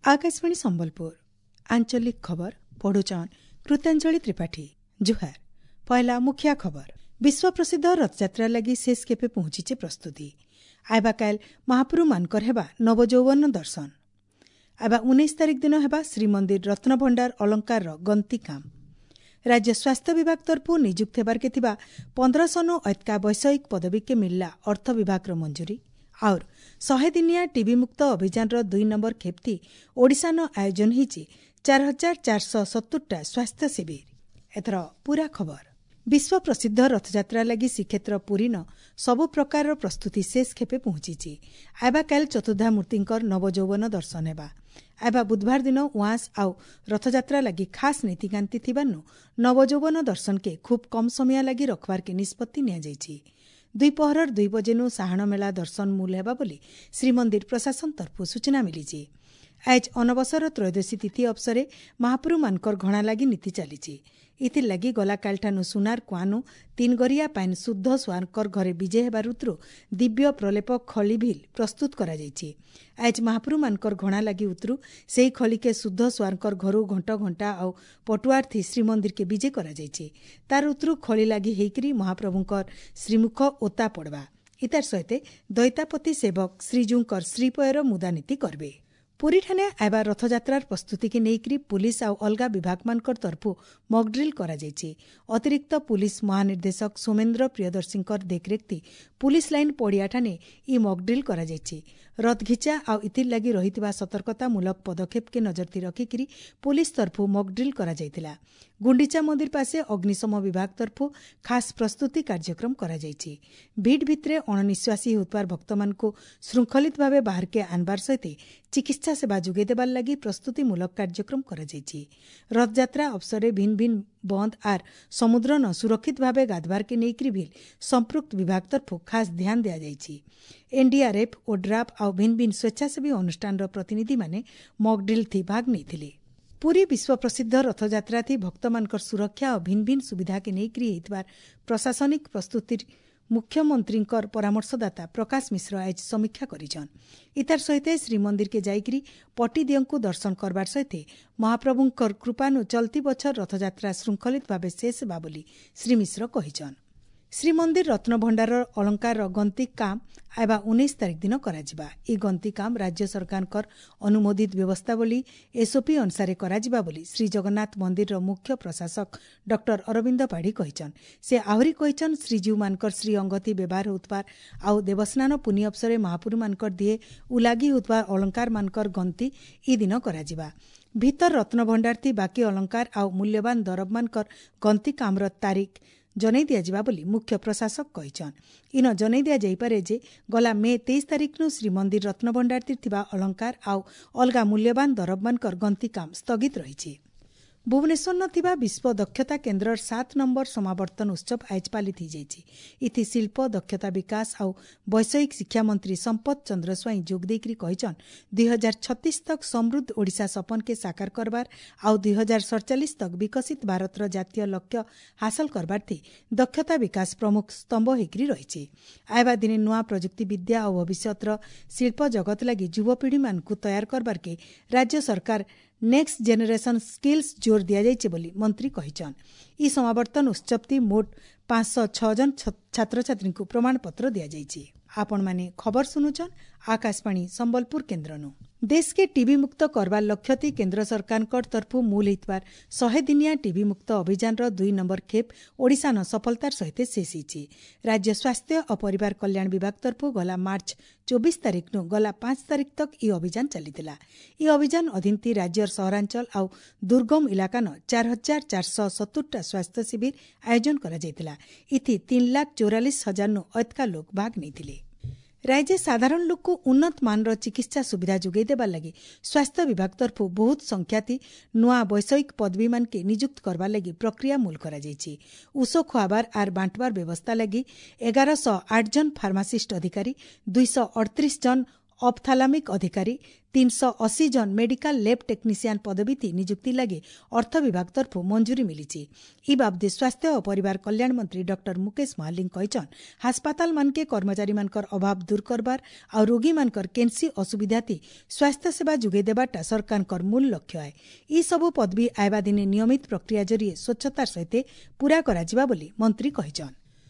ଆକାଶବାଣୀ ସମ୍ବଲପୁର, ଆଞ୍ଚଳିକ ଖବର ପଢୁଛନ୍ କୃତାଞ୍ଜଳି ତ୍ରିପାଠୀ। ଜୁହାର। ପହିଲା ମୁଖିଆ ଖବର। ବିଶ୍ୱପ୍ରସିଦ୍ଧ ରଥଯାତ୍ରା ଲାଗି ଶେଷ କେପେ ପହଞ୍ଚିছে ପ୍ରସ୍ତୁତି। ଆଇବା କାଲ ମହାପ୍ରଭୁମାନଙ୍କର ହେବା ନବଯୌବନ ଦର୍ଶନ। ଆଇବା 19 ତାରିଖ ଦିନ ହେବା ଶ୍ରୀମନ୍ଦିର ରତ୍ନଭଣ୍ଡାର ଅଳଙ୍କାରର ଗନ୍ତି କାମ। ରାଜ୍ୟ ସ୍ୱାସ୍ଥ୍ୟ ବିଭାଗ ତରଫରୁ ନିଯୁକ୍ତ ହେବାର୍କେ ଥିବା 1500 ଅତ୍କା ବୈଷୟିକ ପଦବୀକେ ମିଳିଲା ଅର୍ଥ ବିଭାଗର ମଞ୍ଜୁରୀ। ଆଉର୍ 100 ଦିନିଆ ଟିବି ମୁକ୍ତ ଅଭିଯାନର 2 ନମ୍ବର ଖେପ୍ତି ଓଡ଼ିଶାନ ଆୟୋଜନ ହେଇଛି 4470ଟା ସ୍ୱାସ୍ଥ୍ୟ ଶିବିର। ଏଥର ପୁରା ଖବର। ବିଶ୍ୱ ପ୍ରସିଦ୍ଧ ରଥଯାତ୍ରା ଲାଗି ଶ୍ରୀକ୍ଷେତ୍ର ପୁରୀନ ସବୁ ପ୍ରକାରର ପ୍ରସ୍ତୁତି ଶେଷ ଖେପେ ପହଞ୍ଚିଛି। ଆଇବା କାଲ ଚତୁର୍ଦ୍ଧାମୂର୍ତ୍ତିଙ୍କର ନବଯୌବନ ଦର୍ଶନ ହେବା। ଆଇବା ବୁଧବାର ଦିନ ଉଆଁସ ଆଉ ରଥଯାତ୍ରା ଲାଗି ଖାସ୍ ନୀତିକାନ୍ତି ଥିବାରୁ ନବଯୌବନ ଦର୍ଶନକେ ଖୁବ୍ କମ୍ ସମୟ ଲାଗି ରଖବାର୍କେ ନିଷ୍ପତ୍ତି ନିଆଯାଇଛି। ଦ୍ୱିପହରର 2 ବଜେନୁ ସାହାଣ ମେଳା ଦର୍ଶନ ମୂଲ ହେବା ବୋଲି ଶ୍ରୀମନ୍ଦିର ପ୍ରଶାସନ ତରଫରୁ ସୂଚନା ମିଳିଛି। ଆଜ ଅନବସର ତ୍ରୟୋଦଶୀ ତିଥି ଅବସରେ ମହାପ୍ରଭୁମାନଙ୍କର ଘଣା ଲାଗି ନୀତି ଚାଲିଛି। ଏଥିର୍ଲାଗି ଗଲାକାଲିଠାନୁ ସୁନାର କୁଆନୁ ତିନଗରିଆ ପାଇନ୍ ଶୁଦ୍ଧ ସୁଆରଙ୍କର ଘରେ ବିଜେ ହେବାର ଋତୁରୁ ଦିବ୍ୟ ପ୍ରଲେପ ଖଳି ଭିଲ୍ ପ୍ରସ୍ତୁତ କରାଯାଇଛି। ଆଜ ମହାପ୍ରଭୁମାନଙ୍କର ଘଣା ଲାଗି ଉତରୁ ସେହି ଖଳିକେ ଶୁଦ୍ଧ ସୁଆରଙ୍କର ଘରୁ ଘଣ୍ଟ ଘଣ୍ଟା ଆଉ ପଟୁଆର୍ଥି ଶ୍ରୀମନ୍ଦିରକେ ବିଜେ କରାଯାଇଛି। ତାର ଉତରୁ ଖଳି ଲାଗି ହେଇକରି ମହାପ୍ରଭୁଙ୍କର ଶ୍ରୀମୁଖ ଓତା ପଡ଼ବା। ଇତାର ସହିତ ଦୈତାପତି ସେବକ ଶ୍ରୀଜୀଉଙ୍କର ଶ୍ରୀପୟର ମୁଦାନୀତି କରବେ। ପୁରୀଠାନେ ଆଇବା ରଥଯାତ୍ରାର ପ୍ରସ୍ତୁତିକେ ନେଇକରି ପୁଲିସ୍ ଆଉ ଅଲଗା ବିଭାଗମାନଙ୍କର ତରଫରୁ ମକଡ୍ରିଲ୍ କରାଯାଇଛି। ଅତିରିକ୍ତ ପୁଲିସ୍ ମହାନିର୍ଦ୍ଦେଶକ ସୌମେନ୍ଦ୍ର ପ୍ରିୟଦର୍ଶୀଙ୍କର ଦେଖରେଖତି ପୁଲିସ୍ ଲାଇନ୍ ପଡ଼ିଆଠାନେ ଇ ମକଡ୍ରିଲ୍ କରାଯାଇଛି। ରଥଘିଚା ଆଉ ଇଥିର୍ ଲାଗି ରହିଥିବା ସତର୍କତାମୂଳକ ପଦକ୍ଷେପକେ ନଜରଥି ରଖିକିରି ପୁଲିସ୍ ତରଫରୁ ମକଡ୍ରିଲ୍ କରାଯାଇଥିଲା। ଗୁଣ୍ଡିଚା ମନ୍ଦିର ପାଶେ ଅଗ୍ନିଶମ ବିଭାଗ ତରଫରୁ ଖାସ୍ ପ୍ରସ୍ତୁତି କାର୍ଯ୍ୟକ୍ରମ କରାଯାଇଛି। ଭିଡ଼ ଭିତରେ ଅଣନିଶ୍ୱାସୀ ହେଉଥିବାର ଭକ୍ତମାନଙ୍କୁ ଶୃଙ୍ଖଳିତ ଭାବେ ବାହାରକେ ଆନବାର ସହିତ ଚିକିତ୍ସା ସେବା ଯୋଗାଇ ଦେବାର ଲାଗି ପ୍ରସ୍ତୁତିମୂଳକ କାର୍ଯ୍ୟକ୍ରମ କରାଯାଇଛି। ରଥଯାତ୍ରା ଅବସରରେ ଭିନ୍ନ ଭିନ୍ନ ବନ୍ଦ ଆର୍ ସମୁଦ୍ର ନ ସୁରକ୍ଷିତ ଭାବେ ଗାଧବାରକେ ନେଇକରି ଭିଲ୍ ସମ୍ପୃକ୍ତ ବିଭାଗ ତରଫରୁ ଖାସ୍ ଧ୍ୟାନ ଦିଆଯାଇଛି। ଏନ୍ଡିଆର୍ଏଫ୍, ଓଡ୍ରାଫ୍ ଆଉ ଭିନ୍ନ ଭିନ୍ନ ସ୍ୱେଚ୍ଛାସେବୀ ଅନୁଷ୍ଠାନର ପ୍ରତିନିଧିମାନେ ମକଡ୍ରିଲ୍ ଥି ଭାଗ ନେଇଥିଲେ। ପୁରୀ ବିଶ୍ୱପ୍ରସିଦ୍ଧ ରଥଯାତ୍ରାଥି ଭକ୍ତମାନଙ୍କର ସୁରକ୍ଷା ଓ ଭିନ୍ନ ଭିନ୍ନ ସୁବିଧାକେ ନେଇକରି ହେଇଥିବାର ପ୍ରଶାସନିକ ପ୍ରସ୍ତୁତି ମୁଖ୍ୟମନ୍ତ୍ରୀଙ୍କର ପରାମର୍ଶଦାତା ପ୍ରକାଶ ମିଶ୍ର ଆଜ ସମୀକ୍ଷା କରିଛନ୍। ଇତାର ସହିତ ଶ୍ରୀମନ୍ଦିରକେ ଯାଇକରି ପଟିଦିଅଙ୍କୁ ଦର୍ଶନ କରବାର ସହିତ ମହାପ୍ରଭୁଙ୍କର କୃପାନୁ ଚଲତି ବଛର ରଥଯାତ୍ରା ଶୃଙ୍ଖଳିତ ଭାବେ ଶେଷ ହେବା ବୋଲି ଶ୍ରୀ ମିଶ୍ର କହିଛନ୍। ଶ୍ରୀମନ୍ଦିର ରତ୍ନଭଣ୍ଡାରର ଅଳଙ୍କାରର ଗନ୍ତି କାମ ଆଇବା 19 ତାରିଖ ଦିନ କରାଯିବା। ଏହି ଗନ୍ତି କାମ ରାଜ୍ୟ ସରକାରଙ୍କର ଅନୁମୋଦିତ ବ୍ୟବସ୍ଥାବଳୀ ଏସ୍ଓପି ଅନୁସାରେ କରାଯିବା ବୋଲି ଶ୍ରୀଜଗନ୍ନାଥ ମନ୍ଦିରର ମୁଖ୍ୟ ପ୍ରଶାସକ ଡକ୍ଟର ଅରବିନ୍ଦ ପାଢ଼ୀ କହିଛନ୍। ସେ ଆହୁରି କହିଛନ୍, ଶ୍ରୀଜୀଉମାନଙ୍କର ଶ୍ରୀ ଅଙ୍ଗତି ବ୍ୟବହାର ହେଉଥିବାର ଆଉ ଦେବସ୍ନାନ ପୁନି ଅବସରରେ ମହାପୁରୁମାନଙ୍କର ଦିଏ ଉଲାଗି ହେଉଥିବା ଅଳଙ୍କାରମାନଙ୍କର ଗନ୍ତି ଇ ଦିନ କରାଯିବା। ଭିତର ରତ୍ନଭଣ୍ଡାରଥି ବାକି ଅଳଙ୍କାର ଆଉ ମୂଲ୍ୟବାନ ଦରବମାନଙ୍କର ଗନ୍ତି କାମର ତାରିଖ ଜଣାଇ ଦିଆଯିବା ବୋଲି ମୁଖ୍ୟ ପ୍ରଶାସକ କହିଛନ୍। ଇନ ଜଣାଇ ଦିଆଯାଇପାରେ ଯେ ଗଲା ମେ 23 ତାରିଖନୁ ଶ୍ରୀମନ୍ଦିର ରତ୍ନଭଣ୍ଡାରଥି ଥିବା ଅଳଙ୍କାର ଆଉ ଅଲଗା ମୂଲ୍ୟବାନ ଦରବମାନଙ୍କର ଗନ୍ତି କାମ ସ୍ଥଗିତ ରହିଛି। ଭୁବନେଶ୍ୱରନ ଥିବା ବିଶ୍ୱ ଦକ୍ଷତା କେନ୍ଦ୍ରର 7 ନମ୍ବର ସମାବର୍ତ୍ତନ ଉତ୍ସବ ଆଜ ପାଳିତ ହୋଇଯାଇଛି। ଇଥି ଶିଳ୍ପ, ଦକ୍ଷତା ବିକାଶ ଆଉ ବୈଷୟିକ ଶିକ୍ଷାମନ୍ତ୍ରୀ ସମ୍ପଦ ଚନ୍ଦ୍ର ସ୍ୱାଇଁ ଯୋଗ ଦେଇକରି କହିଛନ୍, 2036 ତକ୍ ସମୃଦ୍ଧ ଓଡ଼ିଶା ସପନକେ ସାକାର କରବାର ଆଉ 2047 ତକ୍ ବିକଶିତ ଭାରତର ଜାତୀୟ ଲକ୍ଷ୍ୟ ହାସଲ କରବାର୍ଥି ଦକ୍ଷତା ବିକାଶ ପ୍ରମୁଖ ସ୍ତମ୍ଭ ହେଇକରି ରହିଛି। ଆଇବା ଦିନେ ନୂଆ ପ୍ରଯୁକ୍ତି ବିଦ୍ୟା ଆଉ ଭବିଷ୍ୟତର ଶିଳ୍ପ ଜଗତ ଲାଗି ଯୁବପିଢ଼ିମାନଙ୍କୁ ତୟାର କରବାର୍କେ ରାଜ୍ୟ ସରକାର ନେକ୍ସଟ ଜେନେରେସନ୍ ସ୍କିଲ୍ସ ଜୋର ଦିଆଯାଇଛି ବୋଲି ମନ୍ତ୍ରୀ କହିଛନ୍। ଇ ସମାବର୍ତ୍ତନ ଉତ୍ସବଟି ମୋଟ 506 ଜଣ ଛାତ୍ରଛାତ୍ରୀଙ୍କୁ ପ୍ରମାଣପତ୍ର ଦିଆଯାଇଛି। ଆପଣମାନେ ଖବର ଶୁଣୁଛନ୍ ଆକାଶବାଣୀ ସମ୍ବଲପୁର କେନ୍ଦ୍ରନୁ। ଦେଶକେ ଟିବି ମୁକ୍ତ କରବାର ଲକ୍ଷ୍ୟତି କେନ୍ଦ୍ର ସରକାରଙ୍କ ତରଫରୁ ମୂଲ ହେଇଥିବାର 100 ଦିନିଆ ଟିବି ମୁକ୍ତ ଅଭିଯାନର 2 ନମ୍ବର ଖେପ୍ ଓଡ଼ିଶାନ ସଫଳତାର ସହିତ ଶେଷ ହେଇଛି। ରାଜ୍ୟ ସ୍ୱାସ୍ଥ୍ୟ ଓ ପରିବାର କଲ୍ୟାଣ ବିଭାଗ ତରଫରୁ ଗଲା ମାର୍ଚ୍ଚ 24 ତାରିଖନୁ ଗଲା 5 ତାରିଖ ତକ୍ ଇ ଅଭିଯାନ ଚାଲିଥିଲା। ଇ ଅଭିଯାନ ଅଧୀନତି ରାଜ୍ୟର ସହରାଞ୍ଚଳ ଆଉ ଦୁର୍ଗମ ଇଲାକାନ 4470ଟା ସ୍ୱାସ୍ଥ୍ୟ ଶିବିର ଆୟୋଜନ କରାଯାଇଥିଲା। ଇଥି 3,44,000ନୁ ଅଧିକା ଲୋକ ଭାଗ ନେଇଥିଲେ। ରାଜ୍ୟ ସାଧାରଣ ଲୋକକୁ ଉନ୍ନତ ମାନର ଚିକିତ୍ସା ସୁବିଧା ଯୋଗାଇ ଦେବାର ଲାଗି ସ୍ୱାସ୍ଥ୍ୟ ବିଭାଗ ତରଫରୁ ବହୁତ ସଂଖ୍ୟାତି ନୂଆ ବୈଷୟିକ ପଦବୀମାନକେ ନିଯୁକ୍ତ କରବାର ଲାଗି ପ୍ରକ୍ରିୟା ମୂଲ କରାଯାଇଛି। ଉଷ ଖୁଆବାର ଆର୍ ବାଣ୍ଟବାର ବ୍ୟବସ୍ଥା ଲାଗି 1108 ଜଣ ଫାର୍ମାସିଷ୍ଟ ଅଧିକାରୀ, 238 ଜଣ ଅପଥାଲାମିକ ଅଧିକାରୀ, 380 ଜନ ମେଡିକାଲ ଲ୍ୟାବ୍ ଟେକ୍ନିସିଆନ୍ ପଦବୀ ନିଯୁକ୍ତି ଲାଗି ଅର୍ଥ ବିଭାଗ ତରଫରୁ ମଞ୍ଜୁରୀ ମିଳିଛି। ଇ ବାବଦେ ସ୍ୱାସ୍ଥ୍ୟ ଓ ପରିବାର କଲ୍ୟାଣ ମନ୍ତ୍ରୀ ଡକ୍ଟର ମୁକେଶ ମହାଲିଙ୍ଗ କହିଛନ୍, ହାସପାତାଲମାନକେ କର୍ମଚାରୀମାନଙ୍କର ଅଭାବ ଦୂର କରବାର ଆଉ ରୋଗୀମାନଙ୍କର କେନ୍ସି ଅସୁବିଧାତି ସ୍ୱାସ୍ଥ୍ୟ ସେବା ଯୋଗାଇ ଦେବାଟା ସରକାରଙ୍କର ମୂଳ ଲକ୍ଷ୍ୟ ଆଏ। ଇ ସବୁ ପଦବୀ ଆଇବା ଦିନେ ନିୟମିତ ପ୍ରକ୍ରିୟା ଜରିଏ ସ୍ୱଚ୍ଛତାର ସହିତ ପୂରା କରାଯିବା ବୋଲି ମନ୍ତ୍ରୀ କହିଛନ୍।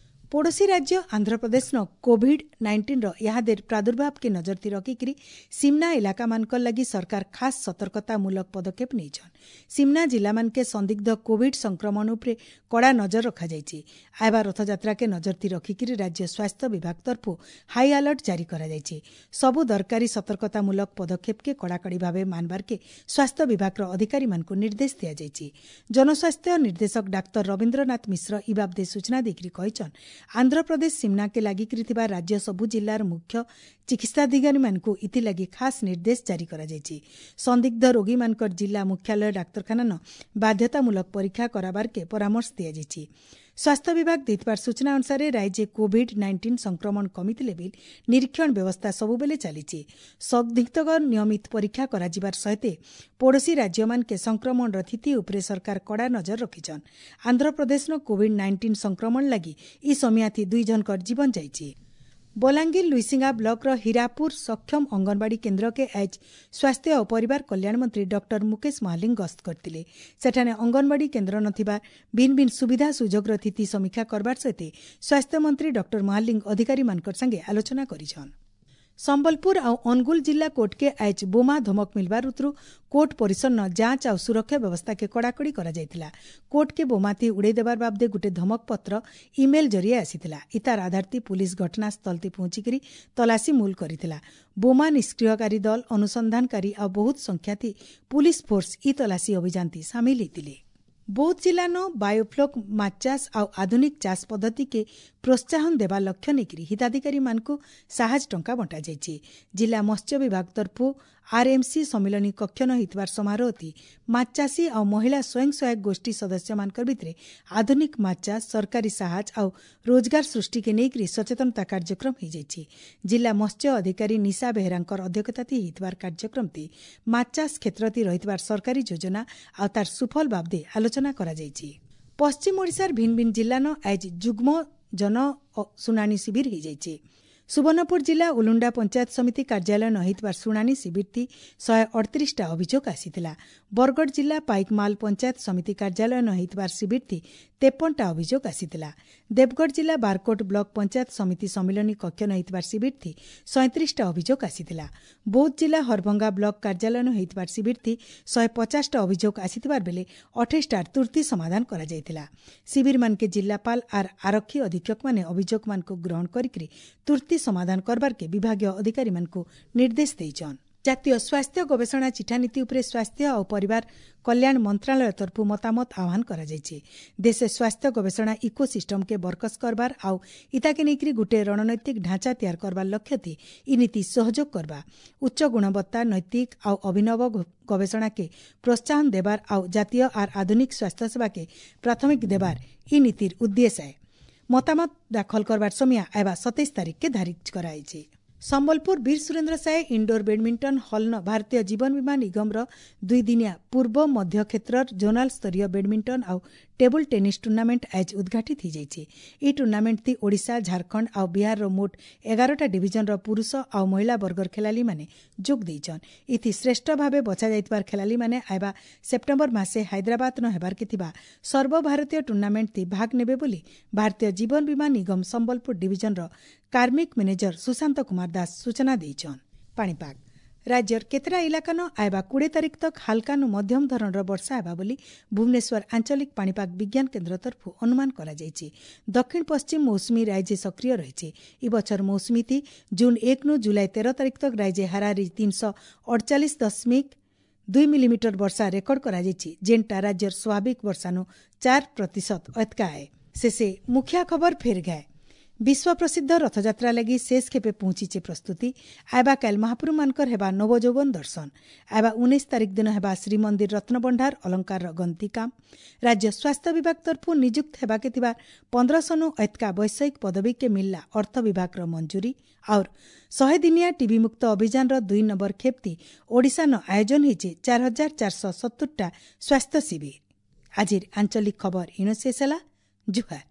ପଡ଼ୋଶୀ ରାଜ୍ୟ ଆନ୍ଧ୍ରପ୍ରଦେଶନ କୋଭିଡ୍-19ର ଇହାଦେର ପ୍ରାଦୁର୍ଭାବକେ ନଜରଥି ରଖିକିରି ସିମନା ଇଲାକାମାନଙ୍କର ଲାଗି ସରକାର ଖାସ୍ ସତର୍କତାମୂଳକ ପଦକ୍ଷେପ ନେଇଛନ୍। ସିମନା ଜିଲ୍ଲାମାନକେ ସନ୍ଦିଗ୍ଧ କୋଭିଡ୍ ସଂକ୍ରମଣ ଉପରେ କଡ଼ା ନଜର ରଖାଯାଇଛି। ଆଇବା ରଥଯାତ୍ରାକେ ନଜରଥି ରଖିକିରି ରାଜ୍ୟ ସ୍ୱାସ୍ଥ୍ୟ ବିଭାଗ ତରଫରୁ ହାଇ ଆଲର୍ଟ ଜାରି କରାଯାଇଛି। ସବୁ ଦରକାରୀ ସତର୍କତାମୂଳକ ପଦକ୍ଷେପକେ କଡ଼ାକଡ଼ି ଭାବେ ମାନବାରକେ ସ୍ୱାସ୍ଥ୍ୟ ବିଭାଗର ଅଧିକାରୀମାନଙ୍କୁ ନିର୍ଦ୍ଦେଶ ଦିଆଯାଇଛି। ଜନସ୍ୱାସ୍ଥ୍ୟ ନିର୍ଦ୍ଦେଶକ ଡାକ୍ତର ରବୀନ୍ଦ୍ରନାଥ ମିଶ୍ର ଇ ବାବଦେ ସୂଚନା ଦେଇକରି କହିଛନ୍, ଆନ୍ଧ୍ରପ୍ରଦେଶ ସିମନାକେ ଲାଗିକରି ଥିବା ରାଜ୍ୟ ସବୁ ଜିଲ୍ଲାର ମୁଖ୍ୟ ଚିକିତ୍ସାଧିକାରୀମାନଙ୍କୁ ଇଥିଲାଗି ଖାସ୍ ନିର୍ଦ୍ଦେଶ ଜାରି କରାଯାଇଛି। ସନ୍ଦିଗ୍ଧ ରୋଗୀମାନଙ୍କର ଜିଲ୍ଲା ମୁଖ୍ୟାଳୟ ଡାକ୍ତରଖାନାନ ବାଧ୍ୟତାମୂଳକ ପରୀକ୍ଷା କରାବାରକେ ପରାମର୍ଶ ଦିଆଯାଇଛି। ସ୍ୱାସ୍ଥ୍ୟ ବିଭାଗ ଦେଇଥିବା ସୂଚନା ଅନୁସାରେ ରାଜ୍ୟ କୋଭିଡ୍-19 ସଂକ୍ରମଣ କମିଥିଲେ ବି ନିରୀକ୍ଷଣ ବ୍ୟବସ୍ଥା ସବୁବେଳେ ଚାଲିଛି। ସନ୍ଦିଗ୍ଧଙ୍କ ନିୟମିତ ପରୀକ୍ଷା କରାଯିବାର ସହିତ ପଡ଼ୋଶୀ ରାଜ୍ୟମାନକେ ସଂକ୍ରମଣର ସ୍ଥିତି ଉପରେ ସରକାର କଡ଼ା ନଜର ରଖିଛନ୍। ଆନ୍ଧ୍ରପ୍ରଦେଶର କୋଭିଡ୍-19 ସଂକ୍ରମଣ ଲାଗି ଇ ସମିଆଥି 2 ଜଣଙ୍କର ଜୀବନ ଯାଇଛି। ବଲାଙ୍ଗୀର ଲୁଇସିଙ୍ଗା ବ୍ଲକର ହୀରାପୁର ସକ୍ଷମ ଅଙ୍ଗନବାଡ଼ି କେନ୍ଦ୍ରକେ ଆଜ ସ୍ୱାସ୍ଥ୍ୟ ଓ ପରିବାର କଲ୍ୟାଣ ମନ୍ତ୍ରୀ ଡକ୍ଟର ମୁକେଶ ମହାଲିଙ୍ଗ ଗସ୍ତ କରିଥିଲେ। ସେଠାରେ ଅଙ୍ଗନବାଡ଼ି କେନ୍ଦ୍ର ନଥିବା ଭିନ୍ନ ଭିନ୍ନ ସୁବିଧା ସୁଯୋଗର ସ୍ଥିତି ସମୀକ୍ଷା କରବାର ସହିତ ସ୍ୱାସ୍ଥ୍ୟମନ୍ତ୍ରୀ ଡକ୍ଟର ମହାଲିଙ୍ଗ ଅଧିକାରୀମାନଙ୍କ ସାଙ୍ଗେ ଆଲୋଚନା କରିଛନ୍। ସମ୍ବଲପୁର ଆଉ ଅନୁଗୁଳ ଜିଲ୍ଲା କୋର୍ଟକେ ଆଜ ବୋମା ଧମକ ମିଲବାର ଉତରୁ କୋର୍ଟ ପରିସରନ ଯାଞ୍ଚ ଆଉ ସୁରକ୍ଷା ବ୍ୟବସ୍ଥାକେ କଡ଼ାକଡ଼ି କରାଯାଇଥିଲା। କୋର୍ଟକେ ବୋମାତି ଉଡ଼େଇ ଦେବାର ବାବଦେ ଗୋଟେ ଧମକ ପତ୍ର ଇମେଲ ଜରିଏ ଆସିଥିଲା। ଇତାର ଆଧାରତି ପୁଲିସ ଘଟଣାସ୍ଥଳତି ପହଞ୍ଚିକରି ତଲାସି ମୂଲ କରିଥିଲା। ବୋମା ନିଷ୍କ୍ରିୟକାରୀ ଦଳ, ଅନୁସନ୍ଧାନକାରୀ ଆଉ ବହୁତ ସଂଖ୍ୟାତି ପୁଲିସ ଫୋର୍ସ ଇ ତଲାସି ଅଭିଯାନତି ସାମିଲ ହେଇଥିଲେ। ବୌଦ୍ଧ ଜିଲ୍ଲାନ ବାୟୋଫ୍ଲୋକ୍ ମାଛ ଚାଷ ଆଉ ଆଧୁନିକ ଚାଷ ପଦ୍ଧତିକେ ପ୍ରୋତ୍ସାହନ ଦେବା ଲକ୍ଷ୍ୟ ନେଇକରି ହିତାଧିକାରୀମାନଙ୍କୁ ସାହାଯ୍ୟ ଟଙ୍କା ବଣ୍ଟାଯାଇଛି। ଜିଲ୍ଲା ମତ୍ସ୍ୟ ବିଭାଗ ତରଫରୁ ଆର୍ଏମ୍ସି ସମ୍ମିଳନୀ କକ୍ଷନ ହୋଇଥିବାର ସମାରୋହତି ମାଛ ଚାଷୀ ଆଉ ମହିଳା ସ୍ୱୟଂ ସହାୟକ ଗୋଷ୍ଠୀ ସଦସ୍ୟମାନଙ୍କ ଭିତରେ ଆଧୁନିକ ମାଛ ଚାଷ, ସରକାରୀ ସାହାଯ୍ୟ ଆଉ ରୋଜଗାର ସୃଷ୍ଟିକେ ନେଇକରି ସଚେତନତା କାର୍ଯ୍ୟକ୍ରମ ହୋଇଯାଇଛି। ଜିଲ୍ଲା ମତ୍ସ୍ୟ ଅଧିକାରୀ ନିଶା ବେହେରାଙ୍କର ଅଧ୍ୟକ୍ଷତାତି ହୋଇଥିବାର କାର୍ଯ୍ୟକ୍ରମଟି ମାଛ ଚାଷ କ୍ଷେତ୍ରତି ରହିଥିବାର ସରକାରୀ ଯୋଜନା ଆଉ ତାର ସୁଫଳ ବାବଦେ ଆଲୋଚନା କରାଯାଇଛି। ପଶ୍ଚିମ ଓଡ଼ିଶାର ଭିନ୍ନ ଭିନ୍ନ ଜିଲ୍ଲାନ ଆଜି ଯୁଗ୍ମ ଜନ ଶୁଣାଣି ଶିବିର ହୋଇଯାଇଛି। ସୁବର୍ଣ୍ଣପୁର ଜିଲ୍ଲା ଉଲୁଣ୍ଡା ପଞ୍ଚାୟତ ସମିତି କାର୍ଯ୍ୟାଳୟ ନ ହୋଇଥିବା ଶୁଣାଣି ଶିବିରଟି 138ଟା ଅଭିଯୋଗ ଆସିଥିଲା। ବରଗଡ଼ ଜିଲ୍ଲା ପାଇକମାଲ ପଞ୍ଚାୟତ ସମିତି କାର୍ଯ୍ୟାଳୟ ନ ହୋଇଥିବା ଶିବିରଟି 53ଟା ଅଭିଯୋଗ ଆସିଥିଲା। ଦେବଗଡ଼ ଜିଲ୍ଲା ବାରକୋଟ ବ୍ଲକ ପଞ୍ଚାୟତ ସମିତି ସମ୍ମିଳନୀ କକ୍ଷ ନ ହୋଇଥିବା ଶିବିରଟି 37ଟା ଅଭିଯୋଗ ଆସିଥିଲା। ବୌଦ୍ଧ ଜିଲ୍ଲା ହରଭଙ୍ଗା ବ୍ଲକ କାର୍ଯ୍ୟାଳୟ ନ ହୋଇଥିବା ଶିବିରଟି 150ଟା ଅଭିଯୋଗ ଆସିଥିବା ବେଳେ 28ଟାର ତୁର୍ତ୍ତି ସମାଧାନ କରାଯାଇଥିଲା। ଶିବିରମାନକେ ଜିଲ୍ଲାପାଳ ଆର୍ ଆରକ୍ଷୀ ଅଧୀକ୍ଷକମାନେ ଅଭିଯୋଗମାନଙ୍କୁ ଗ୍ରହଣ କରିକି ତୁର୍ତ୍ତି ସମାଧାନ କରବାରକେ ବିଭାଗୀୟ ଅଧିକାରୀମାନଙ୍କୁ ନିର୍ଦ୍ଦେଶ ଦେଇଛନ୍। ଜାତୀୟ ସ୍ୱାସ୍ଥ୍ୟ ଗବେଷଣା ଚିଠାନୀତି ଉପରେ ସ୍ୱାସ୍ଥ୍ୟ ଓ ପରିବାର କଲ୍ୟାଣ ମନ୍ତ୍ରଣାଳୟ ତରଫରୁ ମତାମତ ଆହ୍ୱାନ କରାଯାଇଛି। ଦେଶେ ସ୍ୱାସ୍ଥ୍ୟ ଗବେଷଣା ଇକୋ ସିଷ୍ଟମକେ ବରକସ କରବାର ଆଉ ଇତାକେ ନେଇକରି ଗୋଟେ ରଣନୈତିକ ଢାଞ୍ଚା ତିଆର କରବାର ଲକ୍ଷ୍ୟଥି ଇ ନୀତି ସହଯୋଗ କରବା, ଉଚ୍ଚ ଗୁଣବତ୍ତା, ନୈତିକ ଆଉ ଅଭିନବ ଗବେଷଣାକେ ପ୍ରୋତ୍ସାହନ ଦେବାର ଆଉ ଜାତୀୟ ଆର୍ ଆଧୁନିକ ସ୍ୱାସ୍ଥ୍ୟ ସେବାକେ ପ୍ରାଥମିକ ଦେବାର ଇ ନୀତିର ଉଦ୍ଦେଶ୍ୟ। ମତାମତ ଦାଖଲ କରବାର ସମୟ ଆଇବା 27 ତାରିଖକେ ଧାର୍ଯ୍ୟ କରାଯାଇଛି। ସମ୍ବଲପୁର ବୀର ସୁରେନ୍ଦ୍ର ସାଏ ଇଣ୍ଡୋର ବ୍ୟାଡମିଣ୍ଟନ ହଲ୍ନ ଭାରତୀୟ ଜୀବନ ବୀମା ନିଗମର 2 ଦିନିଆ ପୂର୍ବ ମଧ୍ୟ କ୍ଷେତ୍ରର ଜୋନାଲ ସ୍ତରୀୟ ବ୍ୟାଡମିଣ୍ଟନ ଆଉ ଟେବୁଲ ଟେନିସ୍ ଟୁର୍ଣ୍ଣାମେଣ୍ଟ ଆଜ ଉଦ୍ଘାଟିତ ହୋଇଯାଇଛି। ଏହି ଟୁର୍ଣ୍ଣାମେଣ୍ଟଟି ଓଡ଼ିଶା, ଝାଡ଼ଖଣ୍ଡ ଆଉ ବିହାରର ମୋଟ 11ଟା ଡିଭିଜନର ପୁରୁଷ ଆଉ ମହିଳା ବର୍ଗର ଖେଳାଳିମାନେ ଯୋଗ ଦେଇଛନ୍। ଇଥି ଶ୍ରେଷ୍ଠ ଭାବେ ବଛାଯାଇଥିବା ଖେଳାଳିମାନେ ଆଇବା ସେପ୍ଟେମ୍ବର ମାସେ ହାଇଦ୍ରାବାଦନ ହେବାର୍କେ ଥିବା ସର୍ବଭାରତୀୟ ଟୁର୍ଣ୍ଣାମେଣ୍ଟଟି ଭାଗ ନେବେ ବୋଲି ଭାରତୀୟ ଜୀବନ ବୀମା ନିଗମ ସମ୍ବଲପୁର ଡିଭିଜନର କାର୍ମିକ ମ୍ୟାନେଜର ସୁଶାନ୍ତ କୁମାର ଦାସ ସୂଚନା ଦେଇଛନ୍। ପାଣିପାଗ ରାଜ୍ୟର କେତେଟା ଇଲାକାନ ଆଇବା 20 ତାରିଖ ତକ ହାଲକାନୁ ମଧ୍ୟମ ଧରଣର ବର୍ଷା ହେବା ବୋଲି ଭୁବନେଶ୍ୱର ଆଞ୍ଚଳିକ ପାଣିପାଗ ବିଜ୍ଞାନ କେନ୍ଦ୍ର ତରଫରୁ ଅନୁମାନ କରାଯାଇଛି। ଦକ୍ଷିଣ ପଶ୍ଚିମ ମୌସୁମୀ ରାଜ୍ୟ ସକ୍ରିୟ ରହିଛି। ଏ ବଛର ମୌସୁମୀତି ଜୁନ୍ 1ନୁ ଜୁଲାଇ 13 ତାରିଖ ତକ ରାଜ୍ୟ ହାରାହାରି 348.2 ମିଲିମିଟର ବର୍ଷା ରେକର୍ଡ କରାଯାଇଛି, ଯେନ୍ଟା ରାଜ୍ୟର ସ୍ୱାଭାବିକ ବର୍ଷାନୁ 4% ଅତକା ଆଏ। ଶେଷେ ମୁଖିଆ ଖବର ଫେର ଗାଏ। ବିଶ୍ୱ ପ୍ରସିଦ୍ଧ ରଥଯାତ୍ରା ଲାଗି ଶେଷ ଖେପେ ପହଞ୍ଚିଛେ ପ୍ରସ୍ତୁତି। ଆଇବା କାଲ ମହାପ୍ରଭୁମାନଙ୍କର ହେବା ନବଯୌବନ ଦର୍ଶନ। ଆଇବା 19 ତାରିଖ ଦିନ ହେବା ଶ୍ରୀମନ୍ଦିର ରତ୍ନଭଣ୍ଡାର ଅଳଙ୍କାରର ଗନ୍ତି କାମ। ରାଜ୍ୟ ସ୍ୱାସ୍ଥ୍ୟ ବିଭାଗ ତରଫରୁ ନିଯୁକ୍ତ ହେବାକେ ଥିବା 1500 ଏତକା ବୈଷୟିକ ପଦବୀକେ ମିଳିଲା ଅର୍ଥ ବିଭାଗର ମଞ୍ଜୁରୀ। और 100 ଦିନିଆ ଟିବି ମୁକ୍ତ ଅଭିଯାନର 2 ନମ୍ବର ଖେପ୍ତି ଓଡ଼ିଶାନ ଆୟୋଜନ ହେଇଛେ 4470ଟା ସ୍ୱାସ୍ଥ୍ୟ ଶିବିର। ଆଜିର ଆଞ୍ଚଳିକ ଖବର ଇଣ ଶେଷ ହେଲା। ଜୁହାର।